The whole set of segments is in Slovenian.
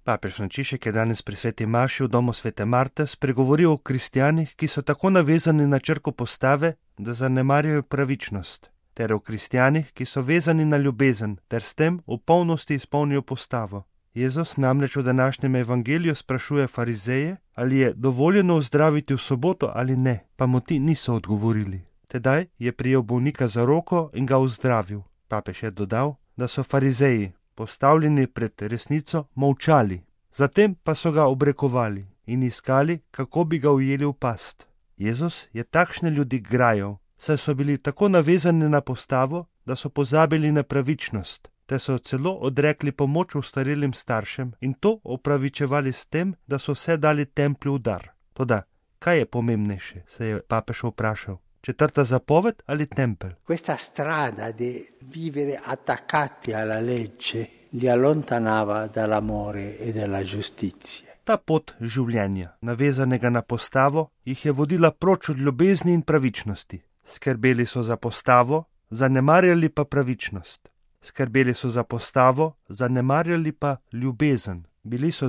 Papež Frančišek je danes pri sveti maši v domu svete Marte spregovoril o kristjanih, ki so tako navezani na črko postave, da zanemarjajo pravičnost, ter o kristjanih, ki so vezani na ljubezen, ter s tem v polnosti izpolnijo postavo. Jezus namreč v današnjem evangeliju sprašuje farizeje, ali je dovoljeno ozdraviti v soboto ali ne, pa mu ti niso odgovorili. Tedaj je prijel bolnika za roko in ga ozdravil. Papež je dodal, da so farizeji, postavljeni pred resnico, molčali, zatem pa so ga obrekovali in iskali, kako bi ga ujeli v past. Jezus je takšne ljudi grajal, saj so bili tako navezani na postavo, da so pozabili na pravičnost, te so celo odrekli pomoč ostarelim staršem in to opravičevali s tem, da so vse dali templju v dar. Toda, kaj je pomembnejše, se je papež vprašal. 4. zapoved ali tempelj? Questa strada di vivere attaccati alla legge li allontanava dall'amore e dalla giustizia. Ta pot življenja, navezanega na postavo, jih je vodila proč od ljubezni in pravičnosti. Skrbeli so za postavo, zanemarjali pa pravičnost. Skrbeli so za postavo, zanemarjali pa ljubezen. Bili so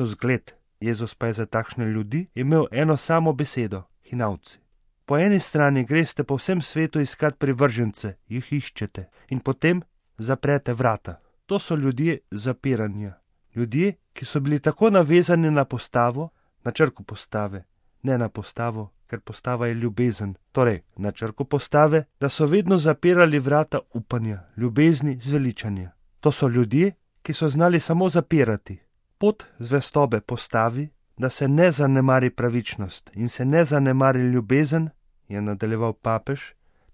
zgled. Jezus pa je za takšne ljudi imel eno samo besedo, hinavci. Po eni strani greste po vsem svetu iskat privržence, jih iščete in potem zaprete vrata. To so ljudje zapiranja. Ljudje, ki so bili tako navezani na postavo, na črko postave, ne na postavo, ker postava je ljubezen, torej na črko postave, da so vedno zapirali vrata upanja, ljubezni, zveličanja. To so ljudje, ki so znali samo zapirati. Pot zvestobe postavi, da se ne zanemari pravičnost in se ne zanemari ljubezen, je nadaljeval papež,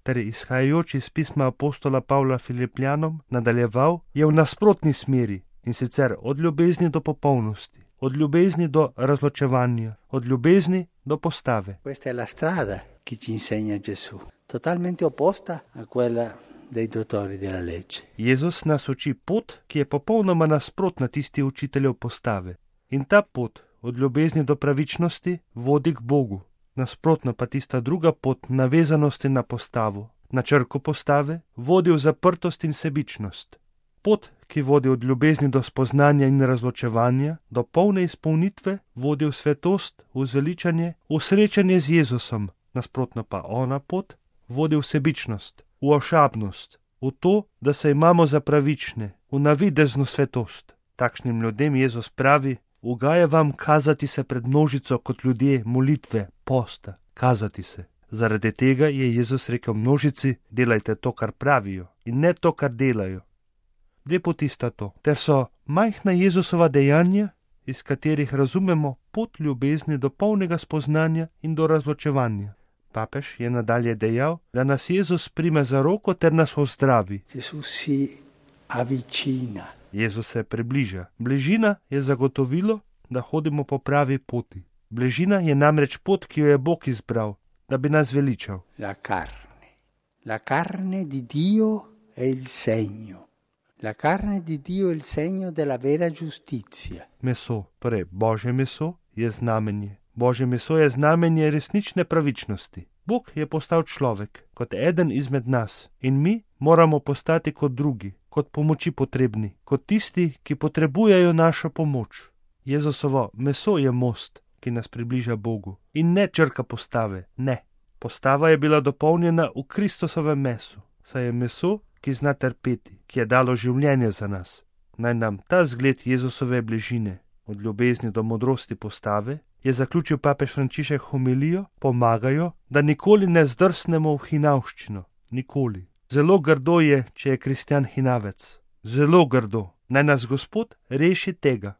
ter izhajajoč iz pisma apostola Pavla Filipljanom nadaljeval, je v nasprotni smeri, in sicer od ljubezni do popolnosti, od ljubezni do razločevanja, od ljubezni do postave. Questa è la strada che ci insegna Gesù, totalmente opposta a quella dei dottori della legge. Jezus nas uči pot, ki je popolnoma nasprotna tisti učiteljev postave. In ta pot od ljubezni do pravičnosti vodi k Bogu. Nasprotno pa tista druga pot navezanosti na postavo, na črko postave, vodi v zaprtost in sebičnost. Pot, ki vodi od ljubezni do spoznanja in razločevanja, do polne izpolnitve, vodi v svetost, v zveličanje, v srečanje z Jezusom. Nasprotno pa ona pot vodi v sebičnost, v ošabnost, v to, da se imamo za pravične, v navidezno svetost. Takšnim ljudem Jezus pravi, ugaja vam kazati se pred množico kot ljudje molitve, posta, kazati se. Zaradi tega je Jezus rekel množici, delajte to, kar pravijo, in ne to, kar delajo. Dve poti sta to, ter so majhna Jezusova dejanja, iz katerih razumemo pot ljubezni do polnega spoznanja in do razločevanja. Papež je nadalje dejal, da nas Jezus prime za roko ter nas ozdravi. Jezus se približa. Bližina je zagotovilo, da hodimo po pravi poti. Bližina je namreč pot, ki jo je Bog izbral, da bi nas veličal. La carne di Dio è il segno. La carne di Dio è il segno della vera giustizia. Meso, torej Božje meso, je znamenje. Božje meso je znamenje resnične pravičnosti. Bog je postal človek, kot eden izmed nas, in mi moramo postati kot drugi, kot pomoči potrebni, kot tisti, ki potrebujejo našo pomoč. Jezusovo meso je most, ki nas približa Bogu, in ne črka postave, ne. Postava je bila dopolnjena v Kristusovem mesu, saj je meso, ki zna trpeti, ki je dalo življenje za nas. Naj nam ta zgled Jezusove bližine, od ljubezni do modrosti postave, je zaključil papež Frančišek homilijo, pomagajo, da nikoli ne zdrsnemo v hinavščino. Nikoli. Zelo grdo je, če je kristjan hinavec. Zelo grdo. Naj nas Gospod reši tega.